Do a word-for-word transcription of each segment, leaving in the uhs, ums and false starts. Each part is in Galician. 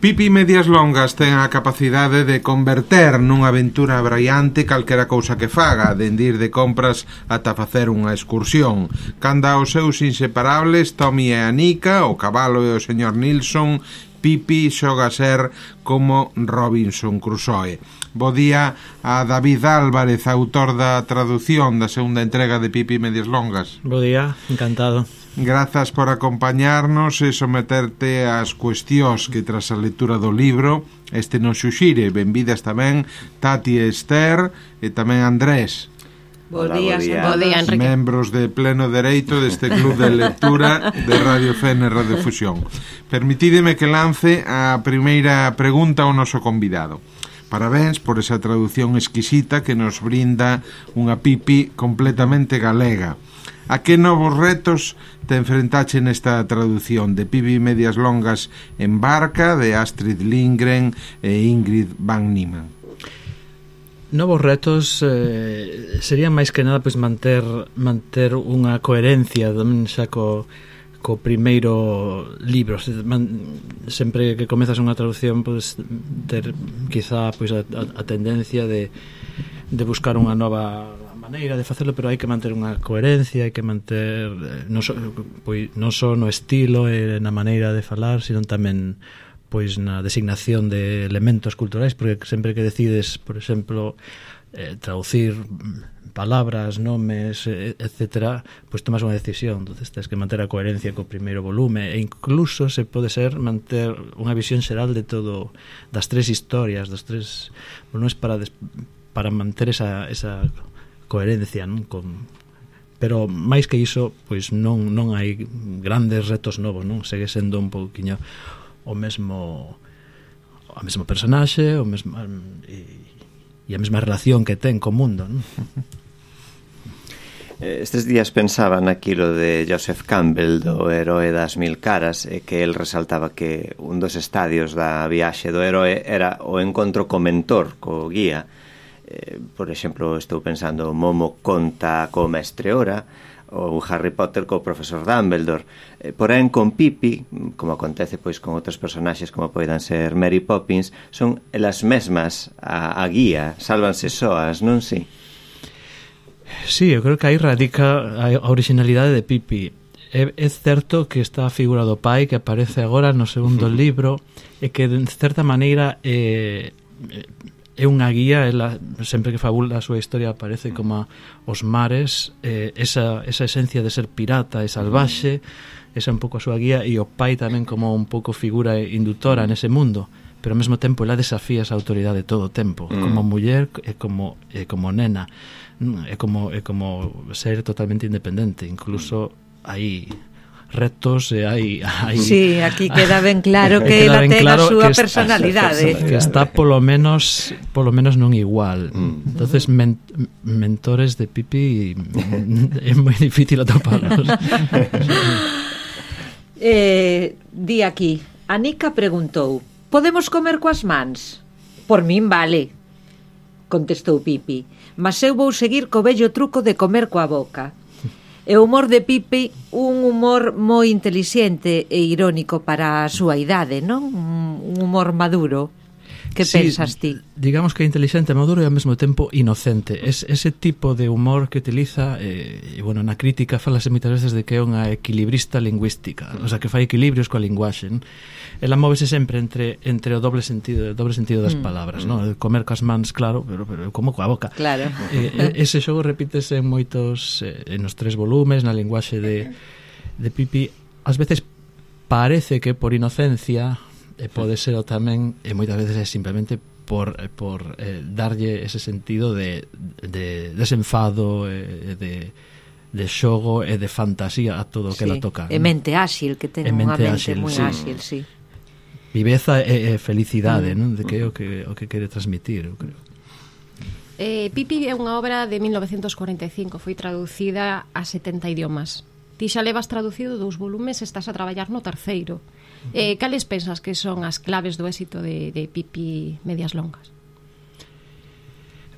Pipi Medias Longas ten a capacidade de converter nunha aventura abraiante calquera cousa que faga, dende ir de compras ata facer unha excursión. Canda os seus inseparables, Tommy e Anica, o cabalo e o señor Nilsson, Pipi xoga a ser como Robinson Crusoe. Bo día a David Álvarez, autor da tradución da segunda entrega de Pipi Medias Longas. Bo día, encantado. Grazas por acompañarnos e someterte ás cuestións que tras a lectura do libro este nos xuxire. Benvidas tamén Tati e Esther e tamén Andrés. Bo día, bo día, Enrique. Membros de pleno dereito deste club de lectura de Radio F N Radio Fusión. Permitídeme que lance a primeira pregunta ao noso convidado. Parabéns por esa traducción exquisita que nos brinda unha Pipi completamente galega. A que novos retos te enfrentache nesta traducción de Pipi Medias Longas en Barca, de Astrid Lindgren e Ingrid Van Niemann? Novos retos eh, serían máis que nada pois manter manter unha coherencia xa co, co primeiro libro. Man, sempre que comezas unha traducción pois ter quizá pois a, a, a tendencia de, de buscar unha nova maneira de facelo, pero hai que manter unha coherencia, hai que manter non só pois, non só no estilo e na maneira de falar, sino tamén pois na designación de elementos culturais, porque sempre que decides, por exemplo, eh, traducir palabras, nomes, etcétera, pois tomas unha decisión. Entonces tens que manter a coherencia co primeiro volume e incluso se pode ser manter unha visión xeral de todo, das tres historias, dos tres volumes para des, para manter esa esa coherencia, non? Con, pero máis que iso, pois non non hai grandes retos novos, non? Segue sendo un pouquiño o mesmo o mesmo personaxe, o mesmo e, e a mesma relación que ten co mundo, non? Estes días pensaba naquilo de Joseph Campbell do Heroe das Mil Caras, e que el resaltaba que un dos estadios da viaxe do heroe era o encontro co mentor, co guía. Eh, por exemplo, estou pensando Momo conta co mestre Ora ou Harry Potter co profesor Dumbledore. Eh, porén, con Pipi, como acontece pois con outros personaxes como poidan ser Mary Poppins, son elas mesmas a, a guía, sálvanse soas, non si? Sí, eu creo que aí radica a originalidade de Pipi. É, é certo que está a figura do pai que aparece agora no segundo libro e que de certa maneira é, é unha guía. Ela, sempre que fabula a súa historia aparece como os mares, eh, esa, esa esencia de ser pirata e salvaxe, esa é un pouco a súa guía, e o pai tamén como un pouco figura indutora nese mundo, pero ao mesmo tempo ela desafía esa autoridade todo o tempo, mm. como muller e como, e como nena, é como, é como ser totalmente independente. Incluso hai retos e hai, hai sí, aquí queda ben claro que ela ten claro a súa personalidade, está, que está polo menos polo menos non igual. Mm. Entonces men, mentores de Pipi é moi difícil atoparlos. eh, di aquí, Anica preguntou: podemos comer coas mans? Por min vale, contestou Pipi, mas eu vou seguir co vello truco de comer coa boca. E o humor de Pipi, un humor moi intelixente e irónico para a súa idade, non? Un humor maduro. Que sí, pensas ti? Digamos que é intelixente, maduro e ao mesmo tempo inocente. Es, ese tipo de humor que utiliza, eh, e, bueno, na crítica falase moitas veces de que é unha equilibrista lingüística, o sea, que fai equilibrios coa linguaxe, non? Ela móvese sempre entre entre o doble sentido, o doble sentido das mm. palabras, mm. non? Comer coas mans, claro, pero, pero como coa boca. Claro. Eh, ese xogo repítese en moitos, eh, nos tres volumes, na linguaxe de, de Pipi. Ás veces parece que por inocencia, e pode ser o tamén, e moitas veces é simplemente por, por eh, darlle ese sentido de, de desenfado, e de, de xogo e de fantasía a todo o que sí, ela toca. E mente áxil, que ten unha mente áxil, moi sí. áxil, sí. Viveza e, e felicidade, mm. non? De que é o que, o que quere transmitir, eu creo. Eh, Pipi é unha obra de mil novecentos cuarenta e cinco, foi traducida a setenta idiomas. Ti xa levas traducido dous volumes, estás a traballar no terceiro. Eh, cales pensas que son as claves do éxito de, de Pipi Medias Longas?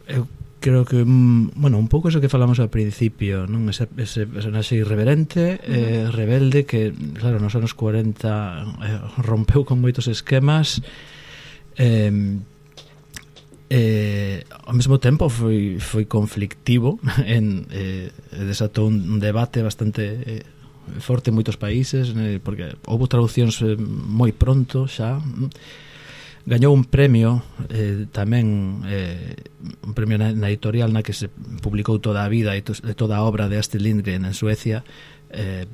Eu creo que, bueno, un pouco eso que falamos ao principio, non? Ese, ese personaxe irreverente, uh-huh. eh, rebelde, que, claro, nos anos cuarenta eh, rompeu con moitos esquemas, eh, eh, ao mesmo tempo foi, foi conflictivo, en, eh, desatou un debate bastante... Eh, forte en moitos países, eh, porque houve traduccións eh, moi pronto xa. Gañou un premio eh, tamén eh, un premio na, na editorial na que se publicou toda a vida e to, toda a obra de Astrid Lindgren en Suecia. eh,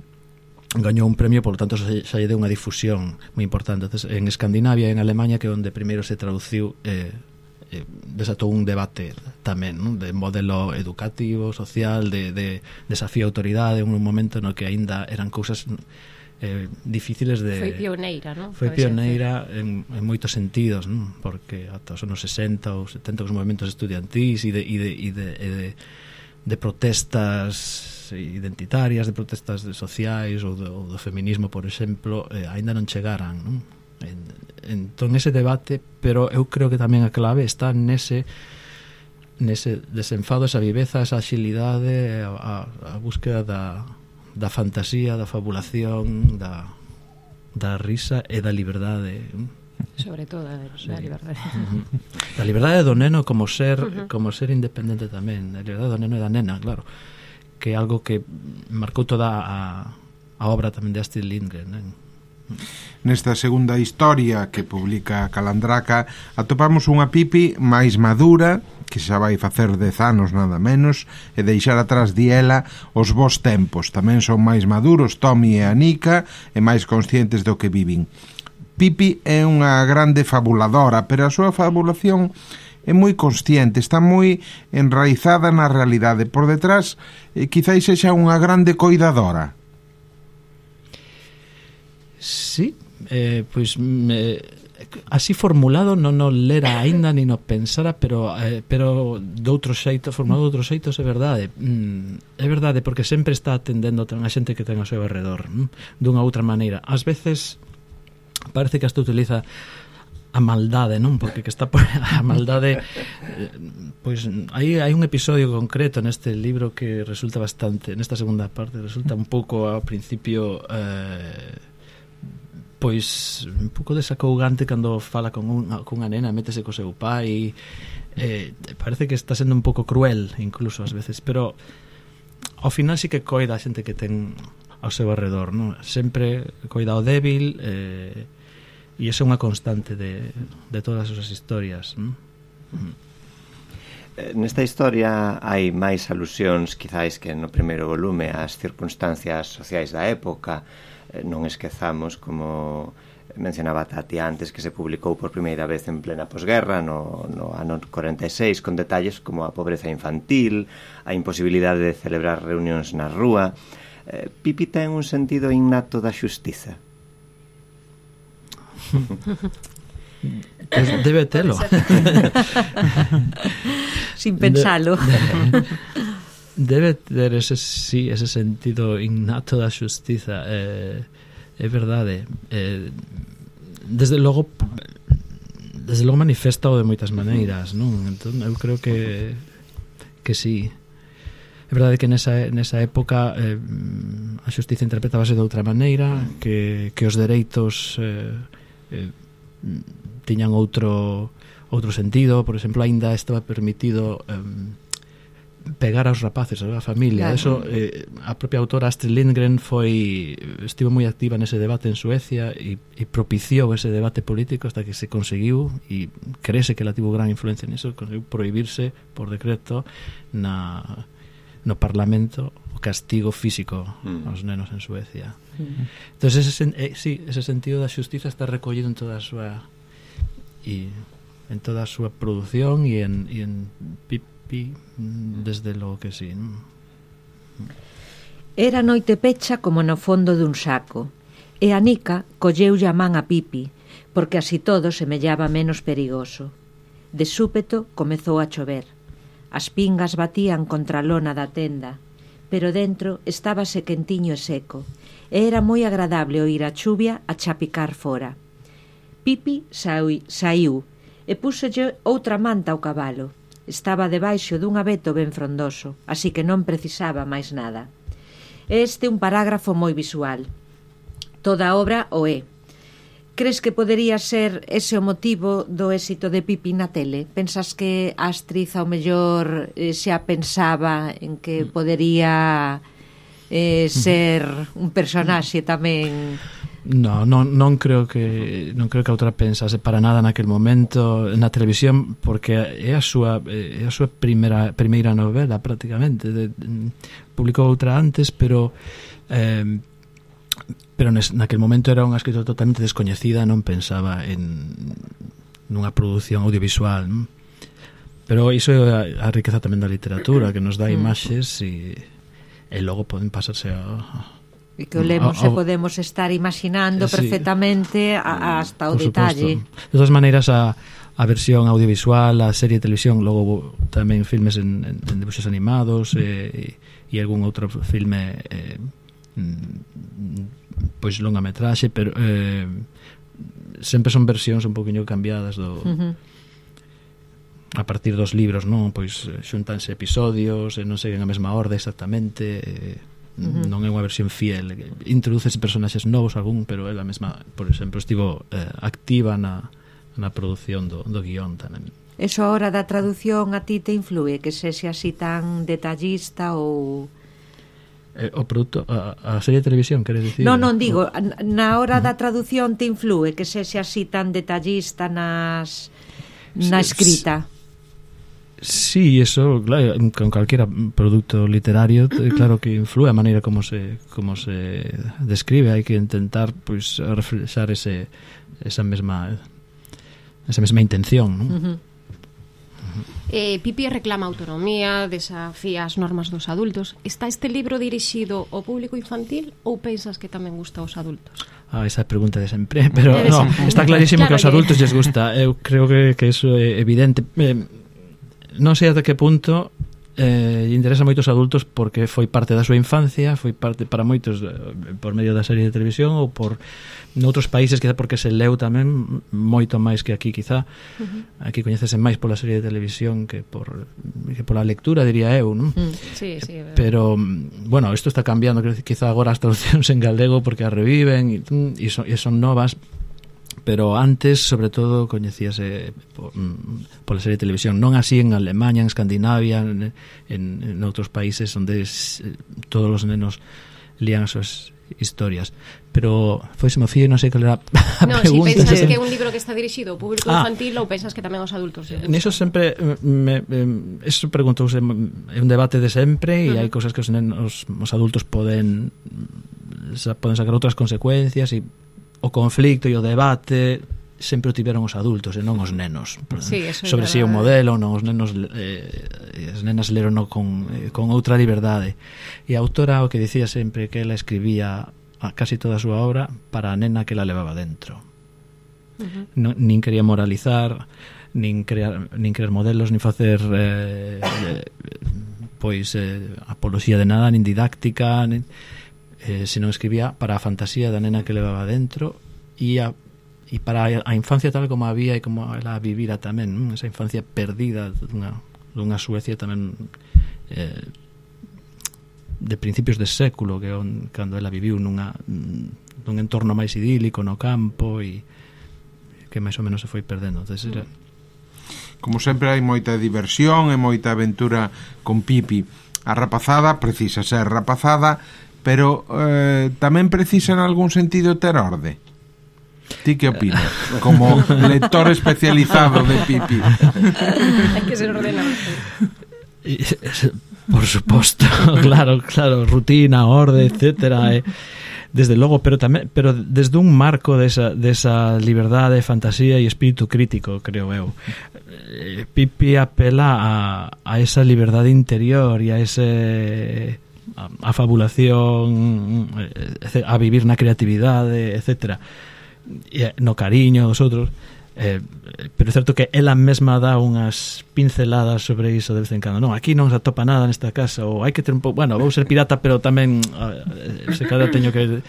gañou un premio, por lo tanto xa, xa lle deu unha difusión moi importante. Entonces, en Escandinavia e en Alemanha, que é onde primeiro se traduciu, eh, eh, desatou un debate tamén, non? De modelo educativo, social, de, de desafío a autoridade, en un momento no que aínda eran cousas eh, difíciles de... Foi pioneira, non? Foi pioneira en, en moitos sentidos, non? Porque ata os anos sesenta ou setenta os movimentos estudiantís e de, e de, e de, e de, de protestas identitarias, de protestas sociais ou do, do feminismo, por exemplo, eh, aínda non chegaran, non? En, entón ese debate, pero eu creo que tamén a clave está nese nese desenfado, esa viveza, esa axilidade, a, a búsqueda da, da fantasía, da fabulación, da, da risa e da liberdade, sobre todo da, sí. da liberdade. Uh-huh. Da liberdade do neno como ser uh-huh. como ser independente tamén, da liberdade do neno e da nena, claro, que é algo que marcou toda a, a obra tamén de Astrid Lindgren, né? Nesta segunda historia que publica Calandraca atopamos unha Pipi máis madura, que xa vai facer dez anos nada menos, e deixar atrás di ela os bons tempos. Tamén son máis maduros Tommy e Anika, e máis conscientes do que viven. Pipi é unha grande fabuladora, pero a súa fabulación é moi consciente, está moi enraizada na realidade. Por detrás, eh, quizáis sexa unha grande coidadora. Sí, eh, pois me, así formulado non o lera aínda nin o pensara, pero eh, pero doutro xeito, formulado de outros xeitos, é verdade. Mm, é verdade porque sempre está atendendo a xente que ten ao seu alrededor, mm, dunha outra maneira. Ás veces parece que hasta utiliza a maldade, non? Porque que está por a maldade, eh, pois aí hai un episodio concreto neste libro que resulta bastante, nesta segunda parte, resulta un pouco ao principio eh pois un pouco desacougante cando fala con, un, con unha nena, métese co seu pai, eh, parece que está sendo un pouco cruel incluso ás veces, pero ao final sí que coida a xente que ten ao seu alrededor, non? Sempre coida o débil, eh, e iso é unha constante de, de todas as historias, non? Nesta historia hai máis alusións quizáis que no primeiro volume ás circunstancias sociais da época. Non esquezamos, como mencionaba Tati antes, que se publicou por primeira vez en plena posguerra no, no ano cuarenta e seis, con detalles como a pobreza infantil, a imposibilidade de celebrar reunións na rúa. eh, Pipi ten un sentido innato da xustiza. Pues debe telo. Sin pensalo. De, debe ter ese, sí, ese sentido innato da xustiza. eh, É verdade. eh, Desde logo Desde logo manifesta de moitas maneiras, non? Entón, eu creo que Que sí. É verdade que nesa, nesa época eh, a xustiza interpretábase de outra maneira, que, que os dereitos eh, eh, tiñan outro outro sentido. Por exemplo, aínda estaba permitido eh, pegar aos rapaces, a familia. Claro. Eso, eh, a propia autora Astrid Lindgren foi estivo moi activa nese debate en Suecia e, e propiciou ese debate político hasta que se conseguiu, e crese que ela tivo gran influencia niso, conseguiu prohibirse por decreto na, no Parlamento o castigo físico mm. aos nenos en Suecia. Mm. Entón, ese, eh, sí, ese sentido da xustiza está recollido en toda a súa e en toda a súa produción e en, e en Pipi, desde logo que sí, non? Era noite pecha como no fondo dun saco, e Anika colleulle a man a Pipi, porque así todo semellaba menos perigoso. De súpeto comezou a chover. As pingas batían contra a lona da tenda, pero dentro estábase quentiño e seco, e era moi agradable oír a chuvia a chapicar fora. Pipi saiu e púxolle outra manta ao cabalo. estaba debaixo dun abeto ben frondoso, así que non precisaba máis nada. Este é un parágrafo moi visual. Toda a obra o é. Crees que podería ser ese o motivo do éxito de Pipi na tele? Pensas que a actriz ao mellor eh, xa pensaba en que podería eh, ser un personaxe tamén... No, non, non creo que non creo que a outra pensase para nada naquel momento na televisión, porque é a súa é a súa primeira primeira novela prácticamente. De, de, publicou outra antes, pero eh, pero nes, naquel momento era unha escritora totalmente descoñecida, non pensaba en nunha produción audiovisual, non? Pero iso é a, a riqueza tamén da literatura, que nos dá imaxes e, e logo poden pasarse a e que o lemos e podemos estar imaginando sí, perfectamente a, hasta o detalle. Supuesto. De todas maneiras, a, a versión audiovisual, a serie de televisión, logo tamén filmes en, en, en dibuixos animados e, e algún outro filme eh, pois longametraxe, pero eh, sempre son versións un poquinho cambiadas do... Uh-huh. A partir dos libros, non? Pois xuntanse episodios e non seguen a mesma orde exactamente... Eh, Uh-huh. Non é unha versión fiel, introduces personaxes novos algún, pero ela mesma, por exemplo, estivo eh, activa na, na produción do, do guión tamén. Eso a hora da traducción a ti te influe, que sexe así tan detallista ou... Eh, o produto, a, a serie de televisión, queres dicir? Non, non, digo, na hora da traducción te influe que sexe así tan detallista nas na escrita. Sí, eso, claro, con calquera producto literario, claro que influe a maneira como se como se describe, hai que intentar pois pues, reflexar ese esa mesma esa mesma intención, non? Uh-huh. Uh-huh. Eh, Pipi reclama autonomía, desafía as normas dos adultos. Está este libro dirixido ao público infantil ou pensas que tamén gusta aos adultos? Ah, esa pregunta de sempre, pero no, está clarísimo claro que aos adultos lles gusta. Eu creo que, que eso é evidente. Eh, non sei até que punto eh, interesa moito aos adultos porque foi parte da súa infancia, foi parte para moitos eh, por medio da serie de televisión ou por noutros países, quizá porque se leu tamén moito máis que aquí, quizá uh-huh. Aquí coñecese máis pola serie de televisión que por que pola lectura, diría eu, non? Mm, sí, sí, pero, bueno, isto está cambiando, quizá agora as traduccións en galego porque as reviven e, e, son, e son novas, pero antes, sobre todo, coñecíase por, pola serie de televisión, non así en Alemania, en Escandinavia, en, en, en outros países onde es, todos os nenos lían as súas historias. Pero foi se me fío e non sei cal era a no, pregunta. Si pensas que é un libro que está dirixido ao público ah, infantil ou pensas que tamén aos adultos? Niso sempre me, me, eso preguntouse, é un debate de sempre e uh-huh. hai cousas que os nenos, os adultos poden poden sacar outras consecuencias e o conflicto e o debate sempre o tiveron os adultos e non os nenos. Sí, sobre si é un modelo, non os nenos eh, as nenas leron con, eh, con outra liberdade. E a autora o que dicía sempre que ela escribía a casi toda a súa obra para a nena que la levaba dentro. Uh-huh. No, nin quería moralizar, nin crear, nin crear modelos, nin facer eh, eh, pois eh, apoloxía de nada, nin didáctica, nin Eh, se non escribía para a fantasía da nena que levaba dentro e, a, e para a infancia tal como había e como ela vivira tamén, non? Esa infancia perdida dunha, dunha Suecia tamén eh, de principios de século que on, cando ela viviu nunha, nun entorno máis idílico no campo e que máis ou menos se foi perdendo. Entonces, era... Como sempre hai moita diversión e moita aventura con Pipi. A rapazada precisa ser rapazada, pero eh, tamén precisa en algún sentido ter orde. Ti que opinas? Como lector especializado de Pipi. Hai que ser ordenado. Por suposto, claro, claro, rutina, orde, etcétera. Eh. Desde logo, pero tamén, pero desde un marco desa, desa liberdade, fantasía e espírito crítico, creo eu. Eh, Pipi apela a, a esa liberdade interior e a ese... a fabulación, a vivir na creatividade, etcétera, e no cariño dos outros, eh, pero é certo que ela mesma dá unhas pinceladas sobre iso de vez en cando. Non, aquí non se atopa nada nesta casa, ou hai que ter un pouco, bueno, vou ser pirata, pero tamén eh, se cada teño que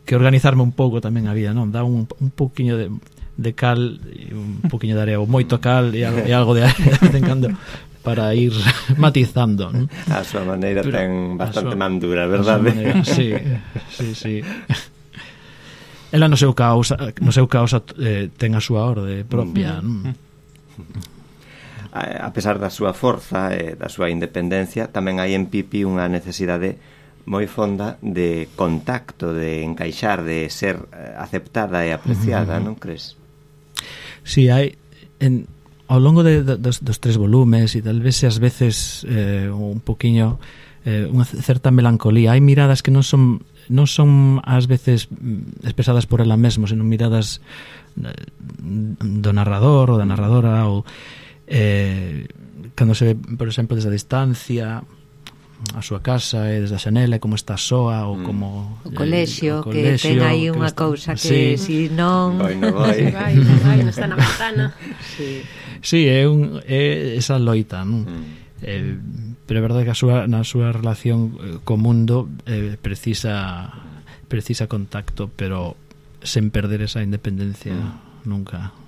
que organizarme un pouco tamén a vida, non? Dá un, un pouquiño de de cal e un poquinho de area, ou moito cal e algo, e algo de area de vez en cando para ir matizando, ¿no? A súa maneira pero, ten bastante súa, mandura, verdade? Maneira, sí, sí, sí. Ela no seu causa, no seu causa eh, ten a súa orde propia, mm. A pesar da súa forza e da súa independencia, tamén hai en Pipi unha necesidade moi fonda de contacto, de encaixar, de ser aceptada e apreciada, uh-huh. non crees? Sí, hai en, ao longo de, de, dos, dos tres volumes e tal vez ás veces eh, un poquinho eh, unha certa melancolía, hai miradas que non son non son ás veces expresadas por ela mesmo, senón miradas do narrador ou da narradora, ou eh, cando se ve, por exemplo, desde a distancia a súa casa e desde a xanela, como está soa, ou como o colexio, eh, o colexio que ten aí unha cousa que si sí. non vai, non vai, vai, non vai, non está na ventana. Sí, sí, é, un, é esa loita, non? Mm. Eh, pero é verdade que a súa, na súa relación co mundo eh, precisa precisa contacto, pero sen perder esa independencia mm. nunca.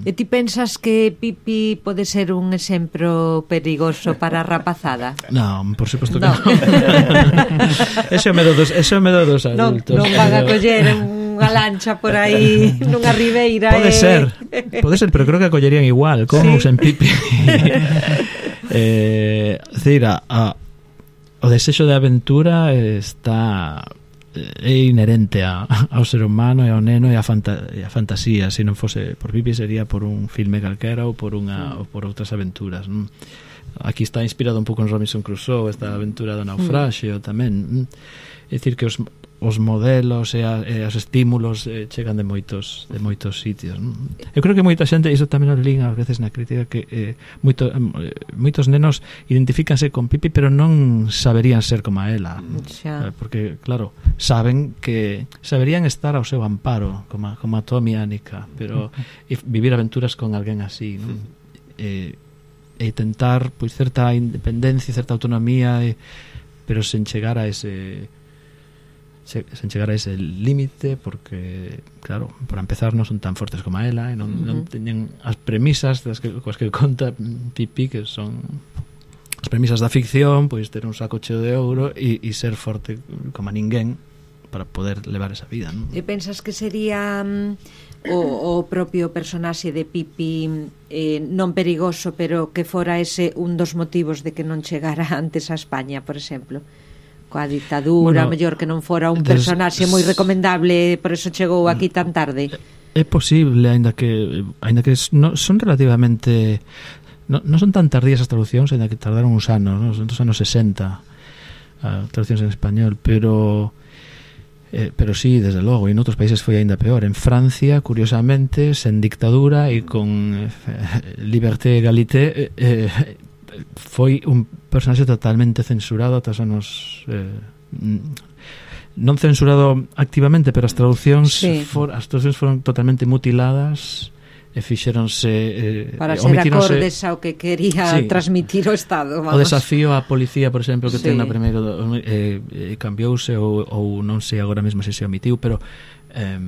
E ti pensas que Pipi pode ser un exemplo perigoso para a rapazada? Non, por suposto que non. Ese é o medo dos, ese é o medo dos adultos. Non, non van a coller unha lancha por aí nunha ribeira. Pode e... ser, pode ser, pero creo que a collerían igual, como ¿sí? sen Pipi. eh, Cira, a, o desexo de aventura está é inherente a, ao ser humano e ao neno e a, fanta, e a fantasía. Se non fose por Pipi sería por un filme calquera ou por unha ou por outras aventuras, non? Aquí está inspirado un pouco en Robinson Crusoe, esta aventura do naufraxio tamén. É dicir que os os modelos e, a, e os estímulos eh, chegan de moitos de moitos sitios, non? Eu creo que moita xente, iso tamén o lín ás veces na crítica, que eh, moito, eh, moitos nenos identifícanse con Pipi pero non saberían ser como a ela, eh, porque claro, saben que saberían estar ao seu amparo como a, como a Tommy e Annika, pero e vivir aventuras con alguén así, non? Eh, e tentar pois certa independencia, certa autonomía, e, pero sen chegar a ese sen chegar a ese límite, porque claro, para empezar non son tan fortes como a ela e non, uh-huh. non teñen as premisas das que, coas que conta Pipi, que son as premisas da ficción, pois ter un saco cheo de ouro e, e ser forte como a ninguén para poder levar esa vida, non? E pensas que sería um, o, o propio personaxe de Pipi eh, non perigoso, pero que fora ese un dos motivos de que non chegara antes a España, por exemplo? Coa ditadura, bueno, mellor que non fora un personaxe moi recomendable, por eso chegou aquí tan tarde. É posible, aínda que aínda que no, son relativamente non no son tan tardías as traducións, aínda que tardaron uns anos, non? Son dos anos sesenta as traducións en español, pero eh, pero sí, desde logo, e en outros países foi aínda peor. En Francia, curiosamente, sen dictadura e con eh, liberté e egalité, eh, eh, foi un personaxe totalmente censurado ata os anos eh, non censurado activamente, pero as traducións sí. for, as traducións foron totalmente mutiladas e fixéronse eh, para ser acordes ao que quería sí. transmitir o Estado, vamos. O desafío á policía, por exemplo, que sí. ten na primeiro eh, eh, cambiouse ou, ou non sei agora mesmo se se omitiu, pero eh,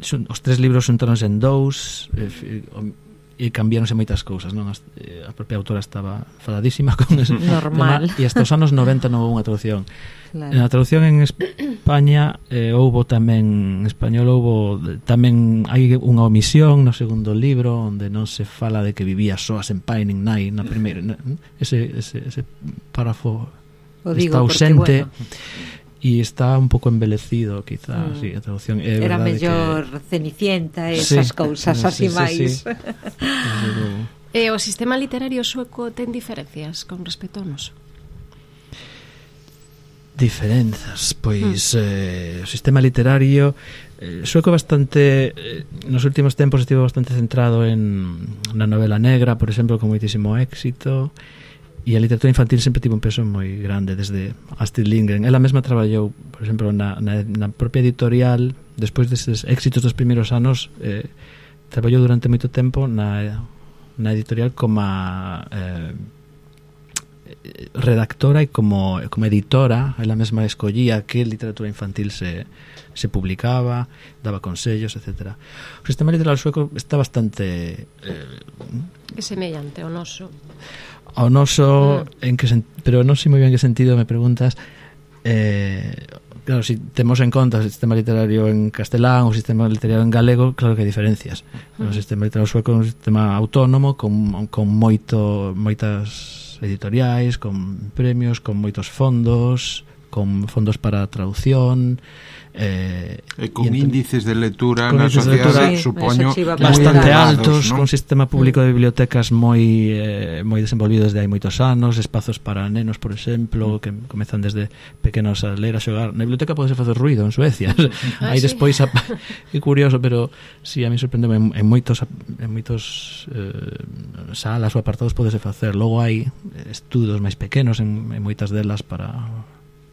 son, os tres libros xuntáronse en dous, eh, e cambiáronse moitas cousas, non? A propia autora estaba enfadadísima con eso. Normal. E hasta os anos noventa non houve unha traducción. Claro. Na traducción en España eh, houbo tamén, en español houbo tamén, hai unha omisión no segundo libro onde non se fala de que vivía soas en pai nin nai na primeira, ese, ese, ese párrafo o digo está ausente. Porque, bueno, e está un pouco embelecido, quizá, mm. sí, a traducción é era mellor que... Cenicienta e esas sí, cousas así sí, máis. Sí, sí. E o sistema literario sueco ten diferencias con respecto ao noso? Diferenzas, pois mm. eh, o sistema literario eh, sueco bastante eh, nos últimos tempos estivo bastante centrado en na novela negra, por exemplo, con moitísimo éxito. E a literatura infantil sempre tivo un peso moi grande, desde Astrid Lindgren. Ela mesma traballou, por exemplo, na, na, na propia editorial, despois desses éxitos dos primeiros anos, eh, traballou durante moito tempo na, na editorial como a, eh, redactora e como, como editora, ela mesma escollía que literatura infantil se, se publicaba, daba consellos, etcétera. O sistema literal sueco está bastante... Eh, é semellante ao noso. Ao noso, mm. en que sen, pero non sei moi ben que sentido me preguntas. Eh, claro, si temos en conta o sistema literario en castelán, o sistema literario en galego, claro que hai diferencias. O sistema literario sueco é un sistema autónomo con, con moito, moitas editoriais, con premios, con moitos fondos, con fondos para traducción, eh, e con e índices de lectura na sociedade, sí, supoño, bastante altos, ¿no? Con sistema público de bibliotecas moi eh, moi desenvolvido desde hai moitos anos, espazos para nenos, por exemplo, que comezan desde pequenos a ler, a xogar. Na biblioteca pode facer ruido en Suecia. Ah, aí sí? despois a, é curioso, pero si sí, a mí sorprendeme en, en moitos en moitos eh, salas ou apartados podese facer. Logo hai estudos máis pequenos en, en moitas delas para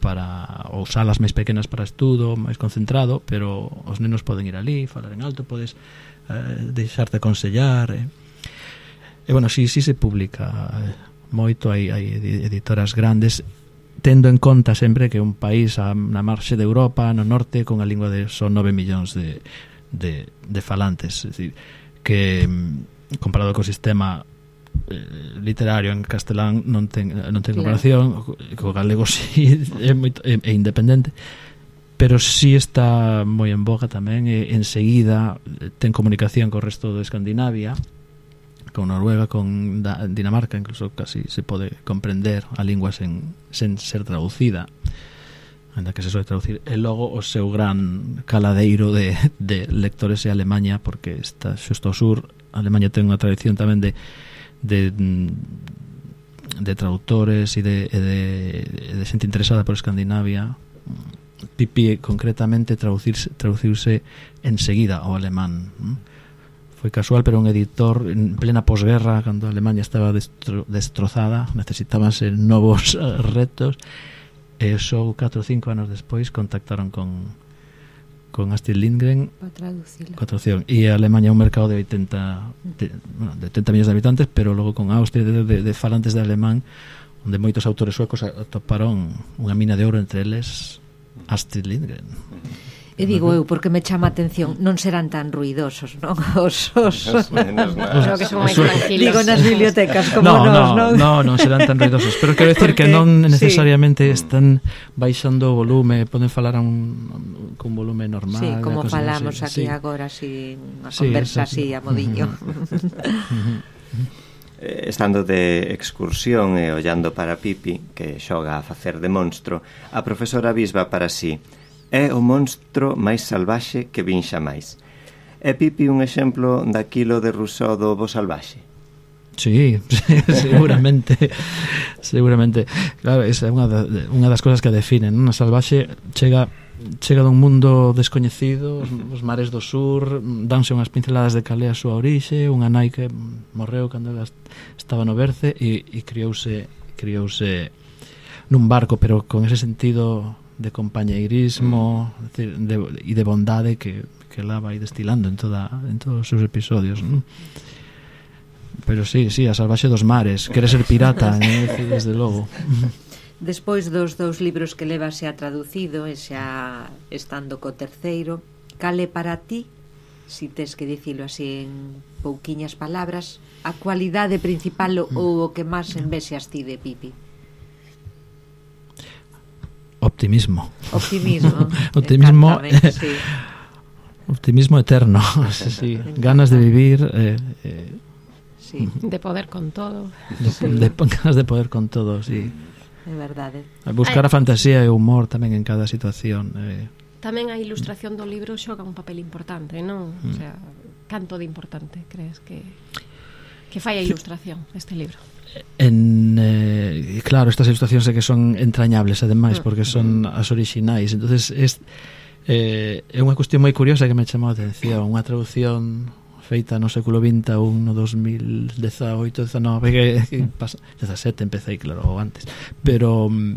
para ou salas máis pequenas para estudo, máis concentrado, pero os nenos poden ir ali, falar en alto, podes eh, deixarte aconsellar. Eh. E bueno, si, si se publica eh, moito, hai, hai editoras grandes, tendo en conta sempre que un país a, na marxe de Europa, no norte, con a lingua de son nove millóns de, de, de falantes, é dicir, que comparado co sistema literario en castelán non ten, non ten comparación, claro. Co galego si é, moito, é, é independente, pero si está moi en boga tamén, e enseguida ten comunicación co resto de Escandinavia, con Noruega, con da, Dinamarca, incluso casi se pode comprender a lingua sen, sen ser traducida, ainda que se soe traducir. E logo o seu gran caladeiro de, de lectores é Alemanha, porque está xusto ao sur. Alemanha ten unha tradición tamén de de de traductores e de, de, de xente interesada por Escandinavia. Pipi concretamente traducirse, traducirse enseguida ao alemán. Foi casual, pero un editor en plena posguerra, cando a Alemanha estaba destro, destrozada, necesitábanse novos retos, e só catro ou cinco anos despois contactaron con con Astrid Lindgren para traducirla. Coa traducción. E a Alemanha é un mercado de oitenta de, bueno, de oitenta millóns de habitantes, pero logo con Austria de, de, de falantes de alemán, onde moitos autores suecos atoparon unha mina de ouro, entre eles Astrid Lindgren. E digo eu, porque me chama a atención, non serán tan ruidosos, non? Os, os... Os que son máis tranquilos. Digo nas bibliotecas, como no, nos, non? No, non serán tan ruidosos, pero quero decir que non necesariamente sí. Están baixando o volume, poden falar a un, con volume normal. Sí, como falamos así. aquí Sí. agora, así, unha sí, conversa así a modiño. Estando de excursión e ollando para Pipi, que xoga a facer de monstro, a profesora Bisba para sí: é o monstro máis salvaxe que vin xamais. É Pipi un exemplo daquilo de Rousseau do bo salvaxe? Sí, seguramente. Seguramente. Claro, esa é unha, da, unha das cosas que definen, non? A salvaxe chega chega dun mundo descoñecido, os, os mares do sur, danse unhas pinceladas de calé a súa orixe, unha nai que morreu cando ela estaba no berce e, e criouse criouse nun barco, pero con ese sentido de compañeirismo e de, de bondade que, que ela vai destilando en toda en todos os seus episodios, non? Pero sí, sí, a salvaxe dos mares, quere ser pirata, ¿eh? Desde logo. Despois dos dous libros que leva xa traducido e xa estando co terceiro, cale para ti, si tes que dicilo así en pouquiñas palabras, a cualidade principal ou o que máis envexas ti de Pipi? Optimismo. Optimismo. Optimismo. Sí. Optimismo eterno. Sí. Ganas de vivir. Eh, eh, sí. De poder con todo. De, sí. de, ganas de poder con todo, sí. É verdade. Buscar a fantasía e o humor tamén en cada situación. Eh. Tamén a ilustración do libro xoga un papel importante, non? Mm. O sea, canto de importante crees que que fai a ilustración este libro? En, eh, claro, estas ilustracións é que son entrañables ademais, porque son as orixinais. Entonces es, eh, é unha cuestión moi curiosa que me chamou a atención. Unha traducción feita no século vinte ou no dos mil dezaoito, dezanove, que, que pasa, dezasete empecé, claro, ou antes, pero um,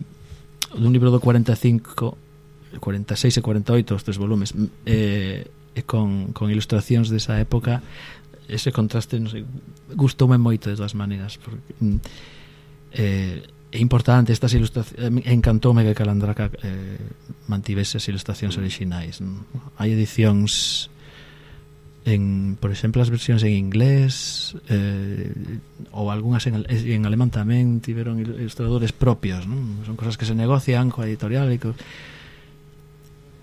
dun libro do cuarenta e cinco, cuarenta e seis e cuarenta e oito, os tres volumes, eh, e con, con ilustracións desa época. Ese contraste, non sei, gustoume moito de todas maneiras, porque eh, é importante estas ilustracións. Encantoume que Calandraca eh, mantivese as ilustracións orixinais, non? Hai edicións en, por exemplo, as versións en inglés, eh, ou algunhas en, en alemán tamén tiveron ilustradores propios, non? Son cosas que se negocian coa editorial e co,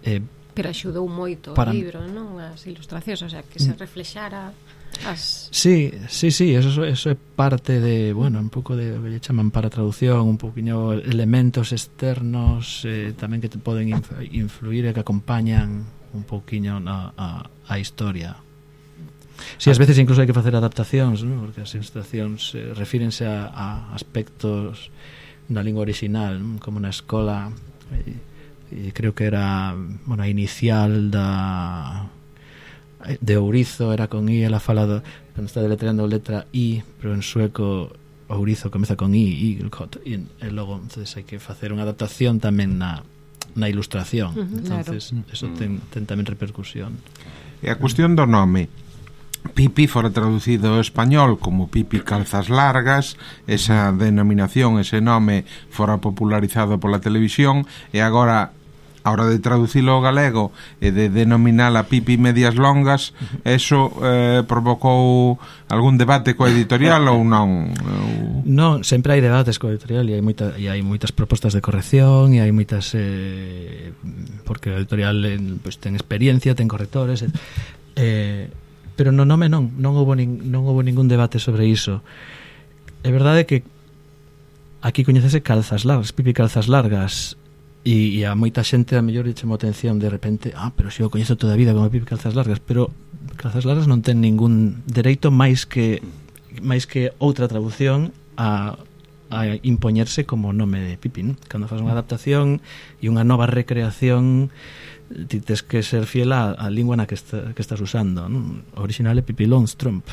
eh, pero axudou moito para... o libro, non? As ilustracións, o sea, que se reflexara as... Sí, sí, sí, eso, eso é parte de, bueno, un pouco de que lle chaman para traducción, un poquinho elementos externos eh, tamén que te poden influir e que acompañan un pouquiño na, a, a historia. Si, sí, ás veces incluso hai que facer adaptacións, ¿no? Porque as ilustracións eh, refírense a, a aspectos da lingua original, ¿no? Como na escola, e, e creo que era, bueno, a inicial da de ourizo era con I, ela fala do, cando está deletreando letra I, pero en sueco ourizo comeza con I, igelkot, e, e logo entonces hai que facer unha adaptación tamén na, na ilustración. Uh-huh, entonces claro. Eso ten, ten tamén repercusión. E a cuestión do nome, Pipi fora traducido ao español como Pipi Calzas Largas, esa denominación, ese nome fora popularizado pola televisión, e agora a hora de traducilo ao galego e de denominala Pipi Medias Longas, eso eh, provocou algún debate coa editorial ou non? Non, sempre hai debates coa editorial e hai, moita, e hai moitas propostas de corrección e hai moitas eh, porque a editorial eh, pues, ten experiencia, ten correctores, eh, pero no nome non, non houve nin, non houve ningún debate sobre iso. É verdade que aquí coñecese Calzas Largas, Pipi Calzas Largas, e, e a moita xente a mellor lle chamou atención de repente, ah, pero se eu coñezo toda a vida como Pipi Calzas Largas, pero Calzas Largas non ten ningún dereito máis que máis que outra traducción a, a impoñerse como nome de Pipi, ¿no? Cando faz unha adaptación e unha nova recreación, ti tes que ser fiel á, á lingua na que, está, que estás usando, ¿no? O original é Pipi Longstrump,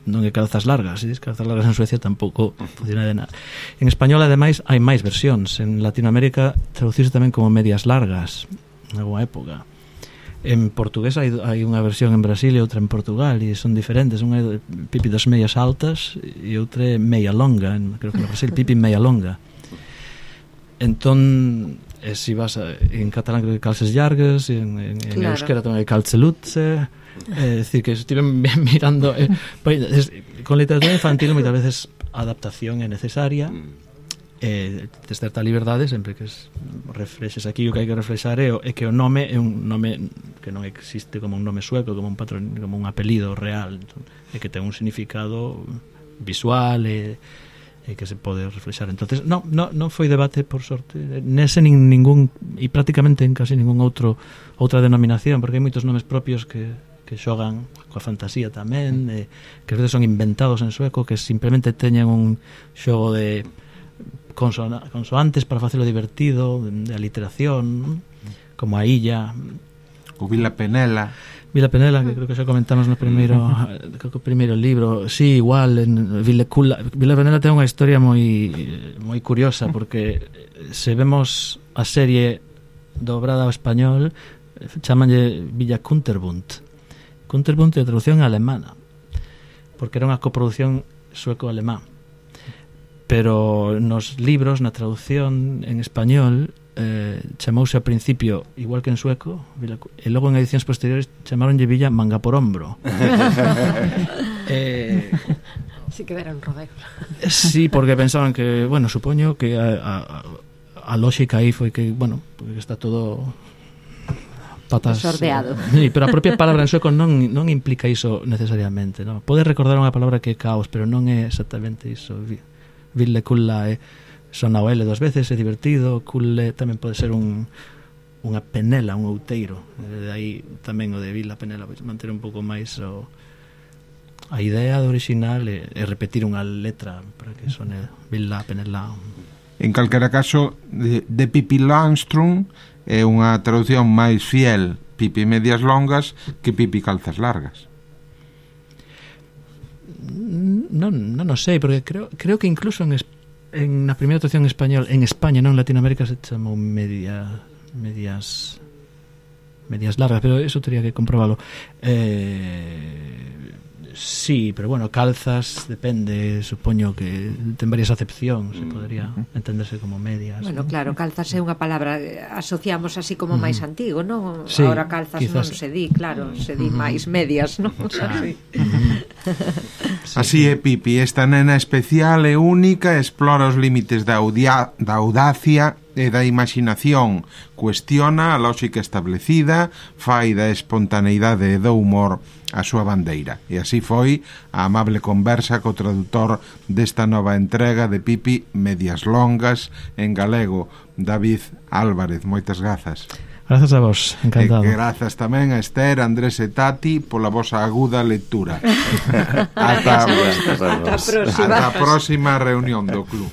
non é Calzas Largas. Se dis Calzas Largas en Suecia tampouco funciona de nada. En español, ademais, hai máis versións. En Latinoamérica traducirse tamén como Medias Largas en alguna época. En portugués hai, hai unha versión en Brasil e outra en Portugal, e son diferentes. Unha é Pipi das Medias Altas e outra é Meia Longa, en, creo que en Brasil Pipi Meia Longa. Entón, e si vas a, en catalán creo que Calces Llargues, en, en, en claro. Euskera tamén hai Calcelutze. É dicir, que estive mirando eh, pues, con literatura infantil moitas veces a adaptación é necesaria, eh, tes certa liberdade sempre que es, reflexes aquí o que hai que reflexar é, é que o nome é un nome que non existe como un nome sueco, como un patrón, como un apelido real, entón, é que ten un significado visual e, e que se pode reflexar. Entonces, non no, no foi debate, por sorte, nese nin, ningún, e prácticamente en casi ningún outro outra denominación, porque hai moitos nomes propios que que xogan coa fantasía tamén, eh, que a veces son inventados en sueco, que simplemente teñen un xogo de consona- consoantes para facelo divertido, de, de aliteración, como a Illa, o Vila Penela. Vila Penela, que creo que xa comentamos no primeiro creo que o primeiro libro. Sí, igual en Vila Cula. Vila Penela ten unha historia moi moi curiosa, porque se vemos a serie dobrada ao español, chamanlle Villa Kunterbund. Kunterbund é traducción alemana, porque era unha coproducción sueco-alemán, pero nos libros, na traducción en español, eh, chamouse ao principio igual que en sueco, Villa, e logo en edicións posteriores chamaronlle Villa Manga por Hombro. eh, Si que era un rodeo. Sí, porque pensaban que, bueno, supoño que a, a, a lógica aí foi que, bueno, porque está todo patas sordeado. Sí, pero a propia palabra en sueco non, non implica iso necesariamente, ¿no? Pode recordar unha palabra que é caos, pero non é exactamente iso. Ville kulla é sona o L dos veces, é divertido. Kulle tamén pode ser un unha penela, un outeiro. De aí tamén o de Villa Penela, pois manter un pouco máis o a idea do original é, é repetir unha letra para que sone Villa Penela. En calquera caso, de, de Pipi Longstrump é unha traducción máis fiel Pipi Medias Longas que Pipi Calzas Largas. Non, non o sei, porque creo, creo que incluso en, en na primeira traducción en español, en España, non en Latinoamérica, se chamou media, medias medias largas, pero eso teria que comprobalo. Eh, Sí, pero bueno, calzas depende, supoño que ten varias acepcións, se podría entenderse como medias. Bueno, ¿no? claro, calzas é unha palabra eh, asociamos así como máis antigo, non? Sí, Ahora calzas quizás. non se di, claro, se di máis medias, non? Así. Así é, Pipi, esta nena especial e única explora os límites da, audia, da audacia e da imaginación, cuestiona a lógica establecida, fai da espontaneidade e do humor a súa bandeira. E así foi a amable conversa co tradutor desta nova entrega de Pipi Medias Longas en galego, David Álvarez. Moitas grazas. Grazas a vos, encantado. E grazas tamén a Esther, Andrés e Tati pola vosa aguda lectura. Ata, Ata a próxima. ata a próxima reunión do club.